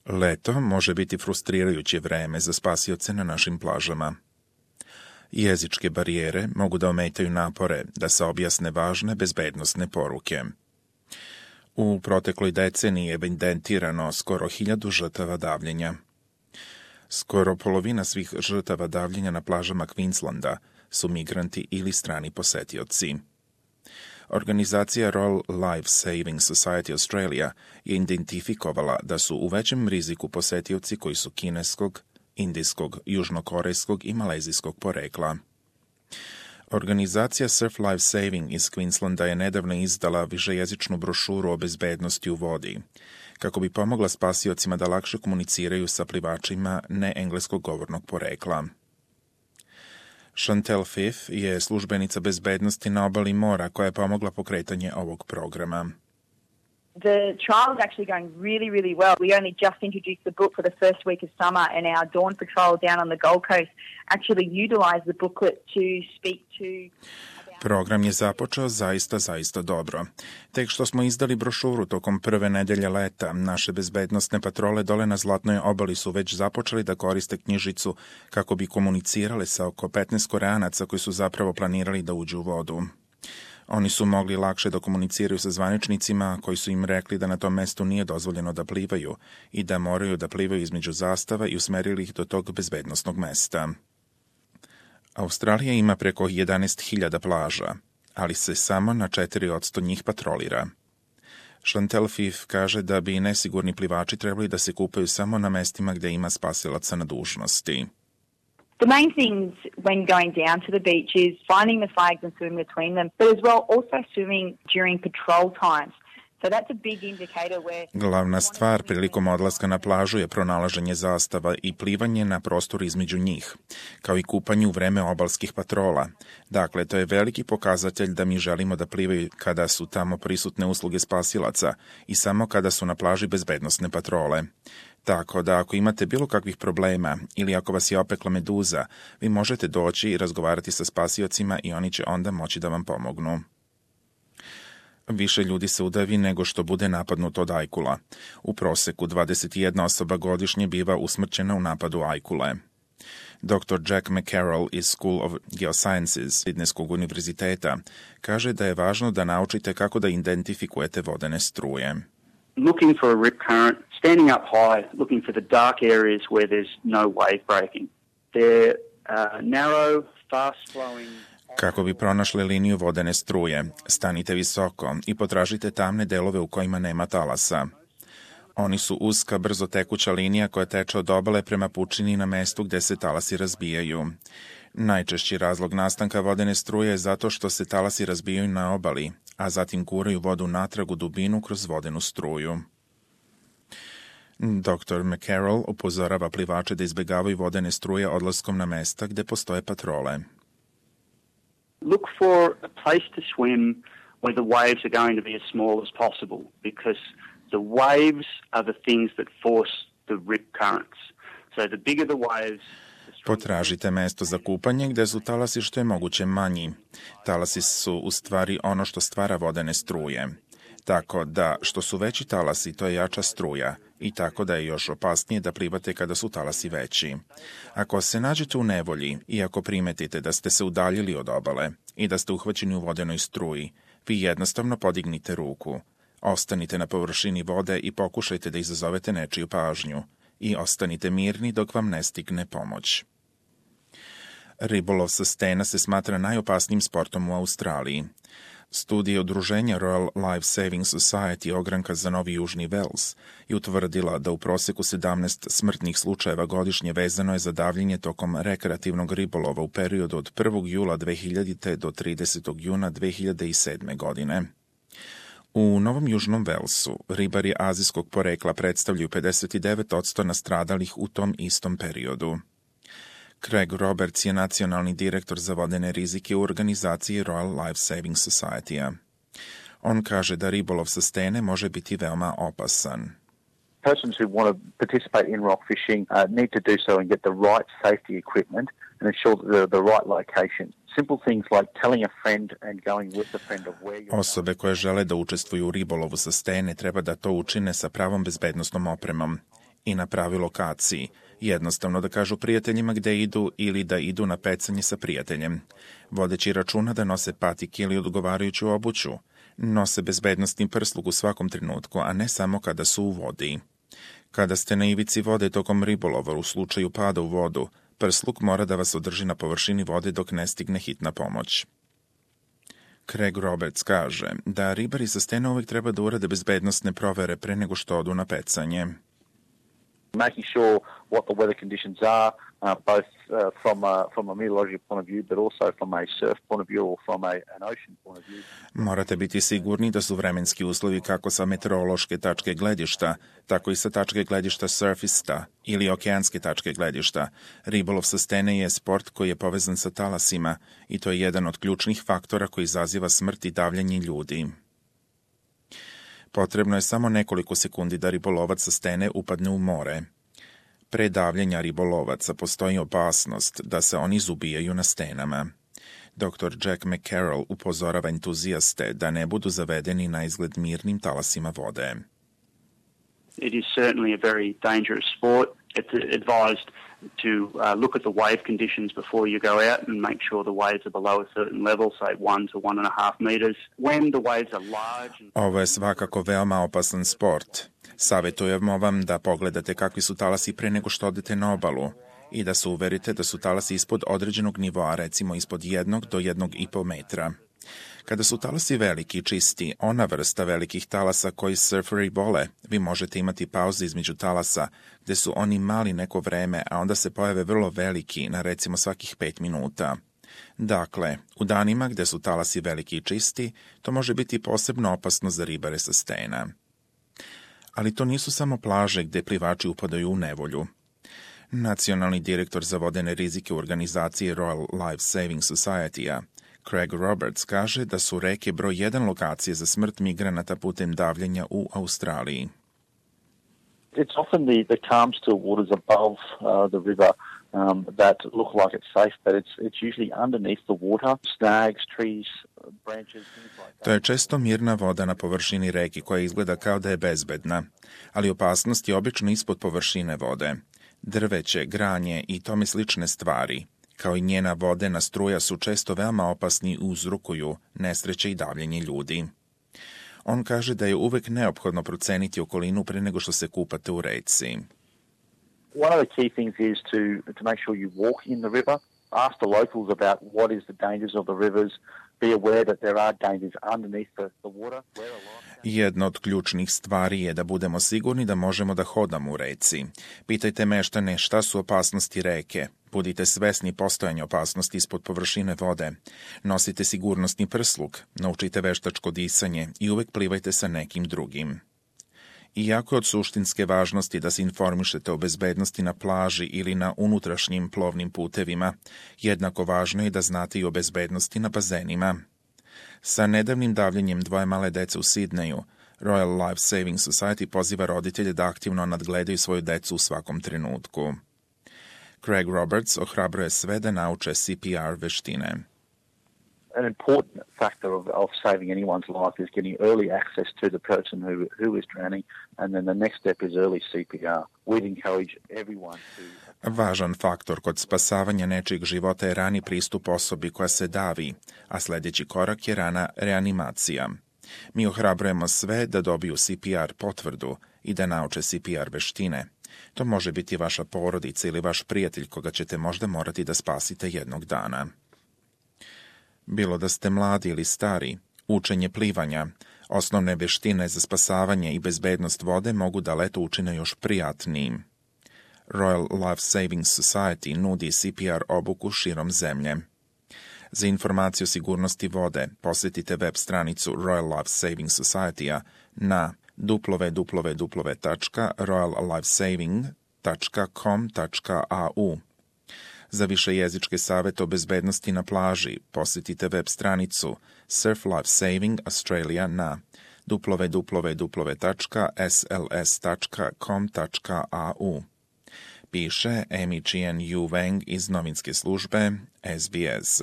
Leto može biti frustrirajuće vreme za spasioce na našim plažama. Jezičke barijere mogu da ometaju napore da se objasne važne bezbednosne poruke. U protekloj deceniji je evidentirano skoro 1000 žrtava davljenja. Skoro polovina svih žrtava davljenja na plažama Queenslanda su migranti ili strani posetioci. Organizacija Royal Life Saving Society Australia je identifikovala da su u većem riziku posetioci koji su kineskog, indijskog, južnokorejskog i malezijskog porekla. Organizacija Surf Life Saving iz Queenslanda je nedavno izdala višejezičnu brošuru o bezbednosti u vodi, kako bi pomogla spasiocima da lakše komuniciraju sa plivačima neengleskog govornog porekla. Chantel Fiff je službenica bezbednosti na obali mora koja je pomogla pokretanje ovog programa. The trial is actually going really, really well. We only just introduced the book for the first week of summer, and our Dawn Patrol down on the Gold Coast actually utilised the booklet to speak to... Program je započeo zaista dobro. Tek što smo izdali brošuru tokom prve nedelje leta, naše bezbednostne patrole dole na Zlatnoj obali su već započeli da koriste knjižicu kako bi komunicirale sa oko 15 Koreanaca koji su zapravo planirali da uđu u vodu. Oni su mogli lakše da komuniciraju sa zvaničnicima koji su im rekli da na tom mestu nije dozvoljeno da plivaju i da moraju da plivaju između zastava i usmerili ih do tog bezbednosnog mesta. Australija ima preko 11.000 plaža, ali se samo na 4% njih patrolira. Chantel Fiff kaže da bi nesigurni plivači trebali da se kupaju samo na mestima gde ima spasilaca na dužnosti. The main things when going down to the beach is finding the flags and swimming between them, but as well also swimming during patrol times. So that's a big indicator where... Glavna stvar prilikom odlaska na plažu je pronalaženje zastava i plivanje na prostoru između njih, kao i kupanje u vreme obalskih patrola. Dakle, to je veliki pokazatelj da mi želimo da plivaju kada su tamo prisutne usluge spasilaca i samo kada su na plaži bezbednosne patrole. Tako da ako imate bilo kakvih problema ili ako vas je opekla meduza, vi možete doći i razgovarati sa spasiocima i oni će onda moći da vam pomognu. Više ljudi se udavi nego što bude napadnuto od ajkula. U proseku 21 osoba godišnje biva usmrćena u napadu ajkule. Dr. Jack McCarroll iz School of Geosciences Sidnejskog univerziteta kaže da je važno da naučite kako da identifikujete vodene struje. Looking for a rip current, standing up high, looking for the dark areas where there's no wave breaking. They're narrow, fast-flowing... Kako bi pronašli liniju vodene struje, stanite visoko i potražite tamne delove u kojima nema talasa. Oni su uska, brzo tekuća linija koja teče od obale prema pučini na mestu gde se talasi razbijaju. Najčešći razlog nastanka vodene struje je zato što se talasi razbijaju na obali, a zatim guraju vodu natrag u dubinu kroz vodenu struju. Dr. McCarroll upozorava plivače da izbegavaju vodene struje odlaskom na mesta gde postoje patrole. Look for a place to swim where the waves are going to be as small as possible, because the waves are the things that force the rip currents. So the bigger the waves... Potražite mesto za kupanje gde su talasi što je moguće manji. Talasi su u stvari ono što stvara vodene struje. Tako da što su veći talasi, to je jača struja i tako da je još opasnije da plivate kada su talasi veći. Ako se nađete u nevolji i ako primetite da ste se udaljili od obale i da ste uhvaćeni u vodenoj struji, vi jednostavno podignite ruku. Ostanite na površini vode i pokušajte da izazovete nečiju pažnju i ostanite mirni dok vam ne stigne pomoć. Ribolov sa stena se smatra najopasnijim sportom u Australiji. Studija udruženja Royal Life Saving Society ogranka za Novi Južni Wales je utvrdila da u proseku 17 smrtnih slučajeva godišnje vezano je za davljenje tokom rekreativnog ribolova u periodu od 1. jula 2000. do 30. juna 2007. godine. U Novom Južnom Walesu ribari azijskog porekla predstavljaju 59% nastradalih u tom istom periodu. Craig Roberts je nacionalni direktor za vodene rizike u organizaciji Royal Life Saving Society-a. On kaže da ribolov sa stene može biti veoma opasan. Persons who want to participate in rock fishing need to do so and get the right safety equipment and ensure the right location. Simple things like telling a friend and going with the friend of where you're... Osobe koje žele da učestvuju u ribolovu sa stene treba da to učine sa pravom bezbednosnom opremom i na pravi lokaciji, jednostavno da kažu prijateljima gde idu ili da idu na pecanje sa prijateljem, vodeći računa da nose patike ili odgovarajuću obuću, nose bezbednostni prsluk u svakom trenutku, a ne samo kada su u vodi. Kada ste na ivici vode tokom ribolova u slučaju pada u vodu, prsluk mora da vas održi na površini vode dok ne stigne hitna pomoć. Craig Roberts kaže da ribari sa stena uvijek treba da urade bezbednostne provere pre nego što odu na pecanje. Making sure what the weather conditions are, both from a meteorological point of view, but also from a surf point of view or from an ocean point of view. Morate biti sigurni da su vremenski uslovi kako sa meteorološke tačke gledišta, tako i sa tačke gledišta surfista ili okeanske tačke gledišta. Ribolov sa stene je sport koji je povezan sa talasima i to je jedan od ključnih faktora koji izaziva smrt i davljenje ljudi. Potrebno je samo nekoliko sekundi da ribolovac sa stene upadne u more. Pre davljenja ribolovaca postoji opasnost da se oni izubijaju na stenama. Dr. Jack McCarroll upozorava entuzijaste da ne budu zavedeni na izgled mirnim talasima vode. It is certainly a very dangerous sport. It's advised to look at the wave conditions before you go out and make sure the waves are below a certain level, say 1 to 1.5 meters. When the waves are large... Ovo je svakako veoma opasan sport. Savjetujemo vam da pogledate kakvi su talasi pre nego što odete na obalu i da se uverite da su talasi ispod određenog nivoa, recimo ispod 1 do 1,5 metra. Kada su talasi veliki i čisti, ona vrsta velikih talasa koji surferi vole, vi možete imati pauze između talasa, gde su oni mali neko vreme, a onda se pojave vrlo veliki, na recimo svakih 5 minuta. Dakle, u danima gde su talasi veliki i čisti, to može biti posebno opasno za ribare sa stena. Ali to nisu samo plaže gde plivači upadaju u nevolju. Nacionalni direktor za vodene rizike u organizaciji Royal Life Saving Society-a, Craig Roberts, kaže da su reke broj 1 lokacije za smrt migranata putem davljenja u Australiji. It's often the calm, still waters above the river that look like it's safe, but it's usually underneath the water, snags, trees, branches, things like that. To je često mirna voda na površini reke koja izgleda kao da je bezbedna, ali opasnost je obično ispod površine vode. Drveće, granje i tome slične stvari, kao i njena vodena struja, su često veoma opasni i uzrokuju nesreće i davljenje ljudi. On kaže da je uvek neophodno proceniti okolinu pre nego što se kupate u reci. One of the key things is to make sure you walk in the river, ask the locals about what is the dangers of the rivers, be aware that there are dangers underneath the water. Jedna od ključnih stvari je da budemo sigurni da možemo da hodamo u reci. Pitajte meštane šta su opasnosti reke. Budite svesni postojanja opasnosti ispod površine vode. Nosite sigurnosni prsluk, naučite veštačko disanje i uvek plivajte sa nekim drugim. Iako je od suštinske važnosti da se informišete o bezbednosti na plaži ili na unutrašnjim plovnim putevima, jednako važno je da znate i o bezbednosti na bazenima. Sa nedavnim davljenjem 2 male dece u Sidneju, Royal Life Saving Society poziva roditelje da aktivno nadgledaju svoju decu u svakom trenutku. Craig Roberts ohrabruje sve da nauče CPR veštine. An important factor of saving anyone's life is getting early access to the person who is drowning, and then the next step is early CPR. We'd encourage everyone to... Važan faktor kod spasavanja nečijeg života je rani pristup osobi koja se davi, a sljedeći korak je rana reanimacija. Mi ohrabrujemo sve da dobiju CPR potvrdu i da nauče CPR veštine. To može biti vaša porodica ili vaš prijatelj koga ćete možda morati da spasite jednog dana. Bilo da ste mladi ili stari, učenje plivanja, osnovne veštine za spasavanje i bezbednost vode mogu da leto učine još prijatnijim. Royal Life Saving Society nudi CPR obuku širom zemlje. Za informaciju o sigurnosti vode posjetite web stranicu Royal Life Saving Society-a na www.royallifesaving.com.au. Za višejezičke savete o bezbednosti na plaži posjetite web stranicu Surf Life Saving Australia na www.sls.com.au. Piše Amy Chien Yu Wang iz novinske službe SBS.